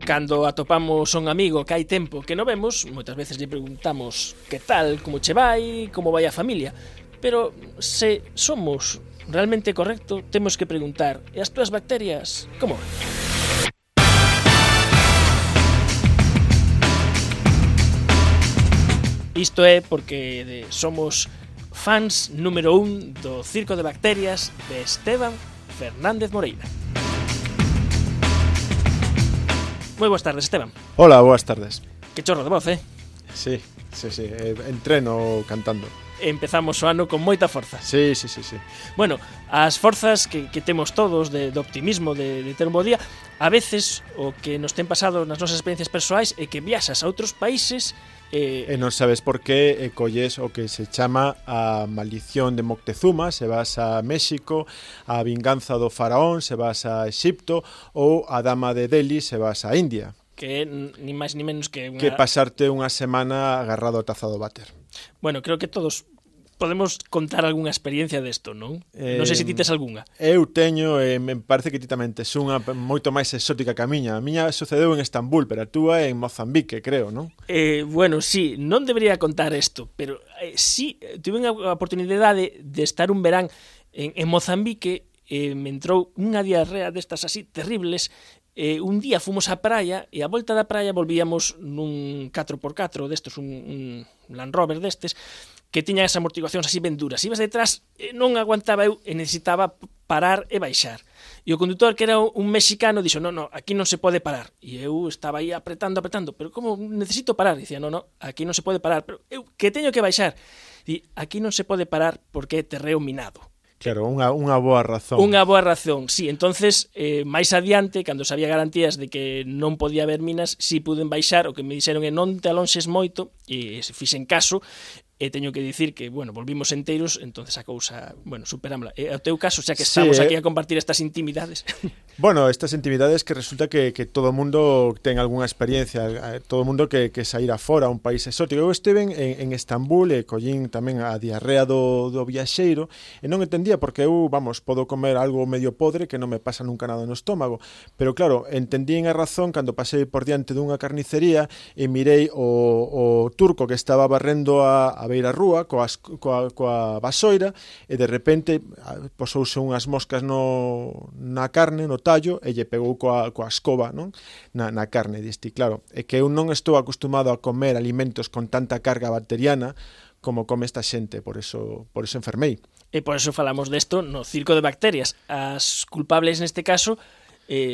Cando atopamos un amigo que hai tempo que non vemos, moitas veces lle preguntamos que tal, como che vai, como vai a familia. Pero se somos realmente correcto, temos que preguntar: e as túas bacterias, como van? Isto é porque somos fans número 1 do Circo de Bacterias de Esteban Fernández Moreira. Moi boas tardes, Esteban. Hola, boas tardes. Que chorro de voz, Sí, entreno cantando. Empezamos o ano con moita forza. Sí. Bueno, as forzas que temos todos de optimismo, de ter un bo día, a veces o que nos ten pasado nas nosas experiencias persoais é que viaxas a outros países e non sabes por qué colles o que se chama a maldición de Moctezuma, se vas a México, a vinganza do faraón, se vas a Exipto, ou a dama de Delhi, se vas a India. Que ni máis ni menos que que pasarte unha semana agarrado ao taza do váter. Bueno, creo que todos podemos contar algunha experiencia desto, non? Non sei se ti tes algunha. Eu teño, me parece que ti tamén tes unha moito máis exótica que a miña. A miña sucedeu en Estambul, pero a túa en Mozambique, creo, non? Bueno, sí, non debería contar isto, pero sí, tuve a oportunidade de estar un verán en Mozambique, me entrou unha diarrea destas así terribles. Un día fomos á praia e a volta da praia volvíamos nun 4x4 destes, un Land Rover destes, que tiña as amortiguacións así ben duras. Ibas detrás, non aguantaba eu e necesitaba parar e baixar. E o condutor, que era un mexicano, dixo: no, aquí non se pode parar. E eu estaba aí apretando, pero como necesito parar? Dicía: no, aquí non se pode parar, pero eu que teño que baixar. E aquí non se pode parar porque é terreo minado. Claro, unha boa razón. Unha boa razón, sí. Entonces, máis adiante, cando sabía garantías de que non podía haber minas, si puden baixar. O que me dixeron é: non te alonxes moito, e se fixen caso. E teño que dicir que, bueno, volvimos enteiros, entonces a cousa, bueno, superámola. E o teu caso, xa que estamos aquí a compartir estas intimidades. Bueno, estas intimidades que resulta que todo o mundo ten algunha experiencia, todo o mundo que saíra fora a un país exótico. Eu estive en Estambul e collín tamén a diarrea do viaxeiro e non entendía porque eu, podo comer algo medio podre que non me pasa nunca nada no estómago. Pero claro, entendín a razón cando pasei por diante dunha carnicería e mirei o turco que estaba barrendo a beira rúa coa vasoira e de repente posouse unhas moscas na carne, no tallo, e lle pegou coa escoba, non? Na carne, diste. Claro, é que eu non estou acostumado a comer alimentos con tanta carga bacteriana como come esta xente, por eso enfermei. E por eso falamos desto no Circo de Bacterias. As culpables neste caso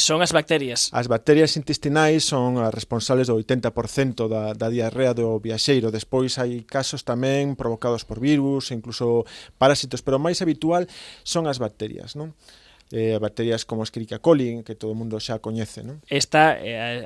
son as bacterias. As bacterias intestinais son as responsables do 80% da diarrea do viaxeiro. Despois hai casos tamén provocados por virus, incluso parásitos, pero o máis habitual son as bacterias, non? Bacterias como Escherichia coli, que todo o mundo xa coñece, non? Esta,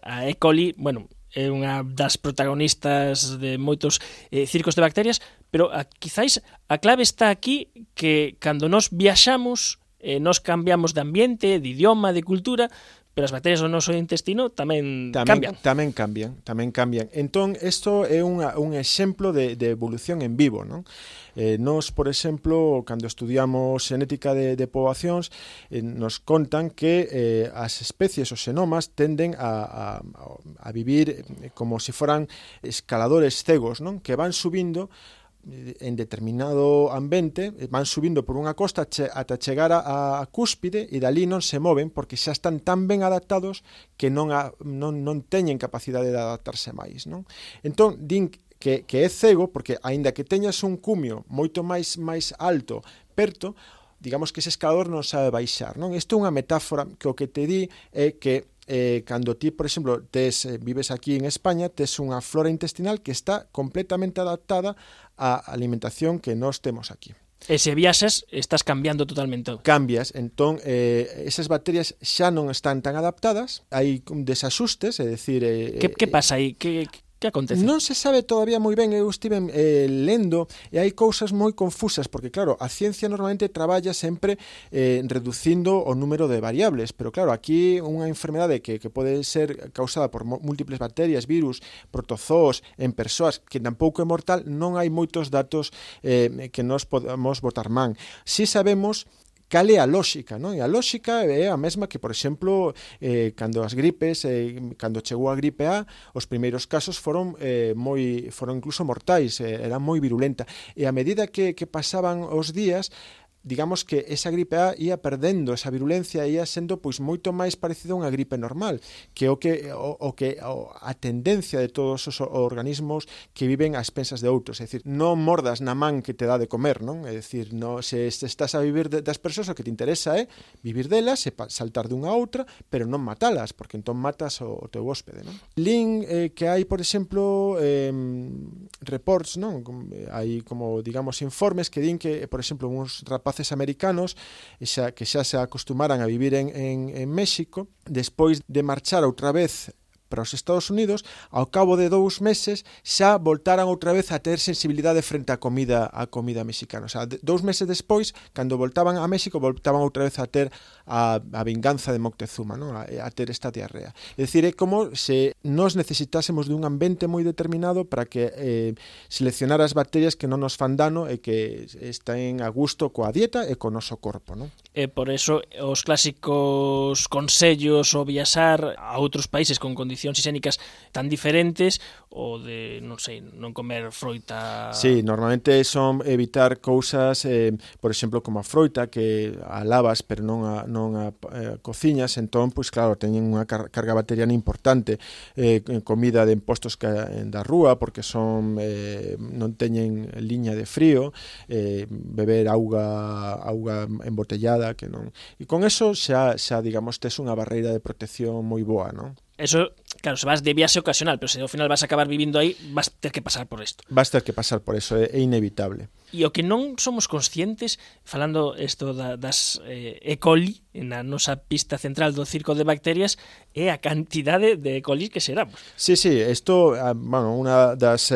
a E. coli, bueno, é unha das protagonistas de moitos circos de bacterias, pero quizáis a clave está aquí, que cando nos viaxamos, nos cambiamos de ambiente, de idioma, de cultura, pero as bacterias do noso intestino tamén cambian. Tamén cambian. Entón, isto é un exemplo de evolución en vivo, non? Nos, por exemplo, cando estudiamos xenética de poboacións, nos contan que as especies, os xenomas, tenden a vivir como se foran escaladores cegos, non? Que van subindo en determinado ambiente, van subindo por unha costa ata chegar a cúspide e dali non se moven porque xa están tan ben adaptados que non teñen capacidade de adaptarse máis, non? Entón, din que é cego porque, aínda que teñas un cumio moito máis alto perto, digamos que ese escalador non sabe baixar, non? Isto é unha metáfora que o que te di é que cando ti, por exemplo, vives aquí en España, tes unha flora intestinal que está completamente adaptada á alimentación que nós temos aquí. E se viaxas, estás cambiando totalmente. Cambias, entón, esas bacterias xa non están tan adaptadas, hai desaxustes, é dicir... Que pasa aí? Que acontece? Non se sabe todavía moi ben, eu estive lendo e hai cousas moi confusas, porque claro, a ciencia normalmente traballa sempre reducindo o número de variables, pero claro, aquí unha enfermedade que pode ser causada por múltiples bacterias, virus, protozoos en persoas, que tampouco é mortal, non hai moitos datos que nos podamos botar man. Si sabemos cal é a lóxica, non? E a lóxica é a mesma que, por exemplo, cando as gripes, cando chegou a gripe A, os primeiros casos foron incluso mortais, era moi virulenta, e a medida que pasaban os días, digamos que esa gripe A ia perdendo esa virulencia, ia sendo pois moito máis parecido a unha gripe normal, que a tendencia de todos os organismos que viven ás pensas de outros, é dicir, non mordas na man que te dá de comer, non? É dicir, se estás a vivir das persoas, o que te interesa é vivir delas e saltar dunha a outra, pero non matalas, porque entón matas o teu hóspede, non? Lin que hai, por exemplo, reports, non? Hai como, digamos, informes que din que, por exemplo, uns rapaces americanos que xa se acostumaran a vivir en México, despois de marchar outra vez para os Estados Unidos, ao cabo de 2 meses xa voltaran outra vez a ter sensibilidade frente á comida mexicana. O sea, 2 meses despois, cando voltaban a México, voltaban outra vez a ter a vinganza de Moctezuma, non? A ter esta diarrea. É dicir, é como se nós necesitásemos dun ambiente moi determinado para que seleccionar as bacterias que non nos fan dano e que estén a gusto coa dieta e co noso corpo, non? E por eso os clásicos consellos o viaxar a outros países con condicións higiénicas tan diferentes, o de, non sei, non comer froita... Sí, normalmente son evitar cousas, por exemplo, como a froita, que a lavas pero non a cociñas, entón, pois claro, teñen unha carga bacteriana importante, comida de impostos da rúa, porque son non teñen liña de frío, beber auga embotellada, que non... E con eso xa digamos, tes unha barreira de protección moi boa, non? Eso, claro, se vas de viaxe ocasional, pero se ao final vas a acabar vivindo aí, vas ter que pasar por isto. Vas ter que pasar por eso, é inevitable. E o que non somos conscientes, falando isto das E. coli, na nosa pista central do circo de bacterias, é a cantidade de E. coli que xeramos. Sí, isto, bueno, unha das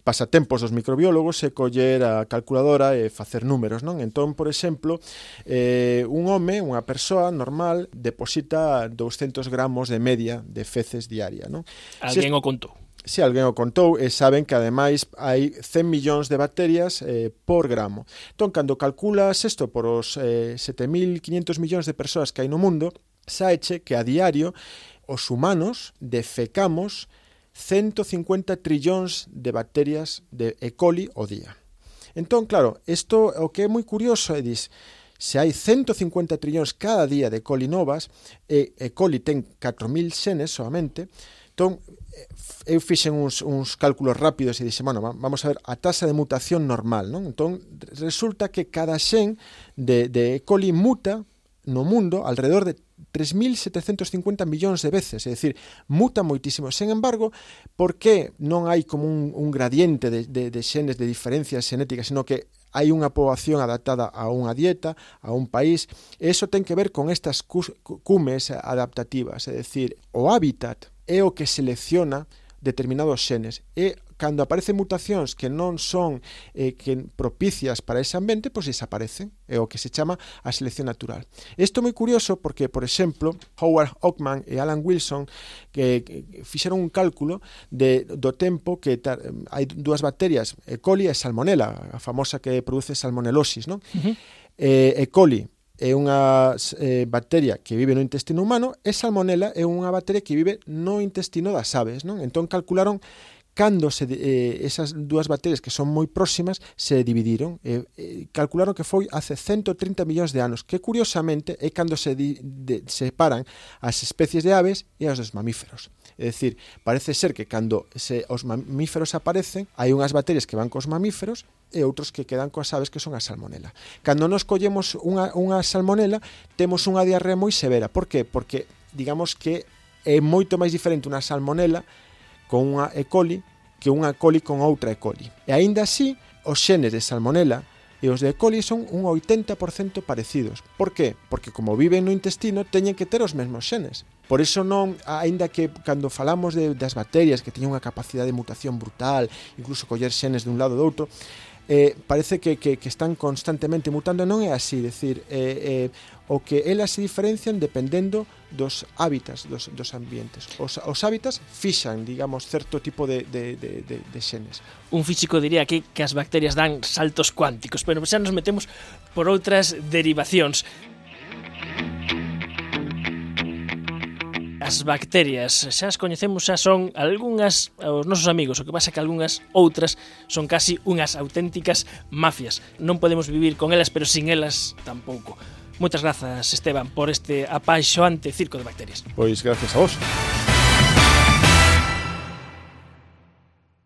pasatempos dos microbiólogos é coller a calculadora e facer números, non? Entón, por exemplo, un home, unha persoa normal, deposita 200 gramos de media de feces diaria, non? Alguén o contou. Se alguén o contou, e saben que ademais hai 100 millóns de bacterias por gramo. Entón, cando calculas isto por os 7.500 millóns de persoas que hai no mundo, saeche que a diario os humanos defecamos 150 trillóns de bacterias de E. coli ao día. Entón, claro, isto o que é moi curioso é se hai 150 trillóns cada día de E. coli novas, e E. coli ten 4.000 xenes solamente, entón, eu fixen uns cálculos rápidos e dixen, bueno, vamos a ver a tasa de mutación normal, non? Entón, resulta que cada xen de E. coli muta no mundo alrededor de 3.750 millóns de veces, é dicir, muta moitísimo. Sen embargo, por que non hai como un gradiente de xenes, de diferencias xenéticas, sino que hai unha poboación adaptada a unha dieta, a un país, e iso ten que ver con estas cumes adaptativas, é dicir, o hábitat é o que selecciona determinados xenes, e cando aparecen mutacións que non son propicias para ese ambiente, pois desaparecen, é o que se chama a selección natural. Isto é moi curioso porque, por exemplo, Howard Ockman e Alan Wilson que fixeron un cálculo do tempo que hai dúas bacterias, E. coli e Salmonella, a famosa que produce salmonelosis, non? E. coli é unha bacteria que vive no intestino humano e Salmonella é unha bacteria que vive no intestino das aves, non? Entón calcularon cando esas dúas bacterias que son moi próximas se dividiron, calcularon que foi hace 130 millóns de anos, que curiosamente é cando se separan as especies de aves e as dos mamíferos. É dicir, parece ser que cando os mamíferos aparecen, hai unhas bacterias que van cos mamíferos e outros que quedan coas aves, que son a Salmonella. Cando nos collemos unha Salmonella, temos unha diarrea moi severa. Por qué? Porque, digamos que é moito máis diferente unha Salmonella con unha E. coli que unha E. coli con outra E. coli. E aínda así, os xenes de Salmonella e os de E. coli son un 80% parecidos. Por qué? Porque como viven no intestino, teñen que ter os mesmos xenes. Por iso non, aínda que cando falamos das bacterias que teñen unha capacidade de mutación brutal, incluso coller xenes dun lado ou do outro, parece que están constantemente mutando. Non é así, decir, o que elas se diferencian dependendo dos hábitats dos ambientes. Os hábitats fixan, digamos, certo tipo de xenes. Un físico diría que as bacterias dan saltos cuánticos, pero xa nos metemos por outras derivacións. As bacterias, xa as coñecemos, xa son algunhas os nosos amigos, o que pasa que algunhas outras son casi unhas auténticas mafias. Non podemos vivir con elas, pero sin elas tampouco. Moitas grazas, Esteban, por este apaixoante circo de bacterias. Pois gracias a vos.